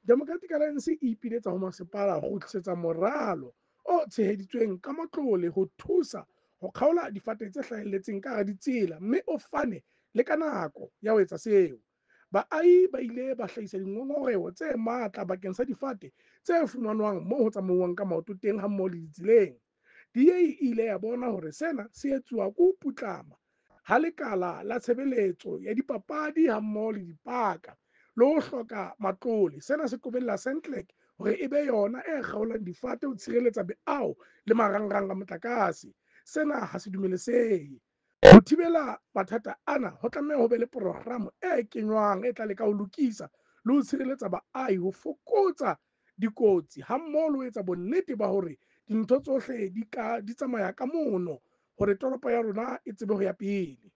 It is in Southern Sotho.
Democratic Alliance e ipiletsa ho masepala ho kgutlisetsa moralo o tsheheditsweng ka matlole ho thusa ho kgaola difate tse hlahelletseng ka hara ditsela mme o fane le ka nako ya ho etsa seo. Baahi ba ile ba hlahisa dingongoreho tse matla bakeng sa difate tse fumanwang moo ho tsamauwang ka maoto teng hammoho le ditseleng. DA e ile ya bona hore sena se etsuwa ke ho putlama ha lekala la tshebeletso ya dipapadi hammoho le dipaka le ho hloka matlole. Sena se qobella SANLAC hore e be yona e kgaolang difate ho tshireletsa meaho le marangrang a motlakase. Sena ha se dumelesehe. Ho thibela mathata ana ho tlameha ho be le programo e kenywang e tla leka ho lokisa le ho tshireletsa baahi ho fokotsa dikotsi hammoho le ho etsa bonnete ba hore dintho tsohle di ka di tsamaya ka mono hore toropo ya rona e tsebe ho ya pele.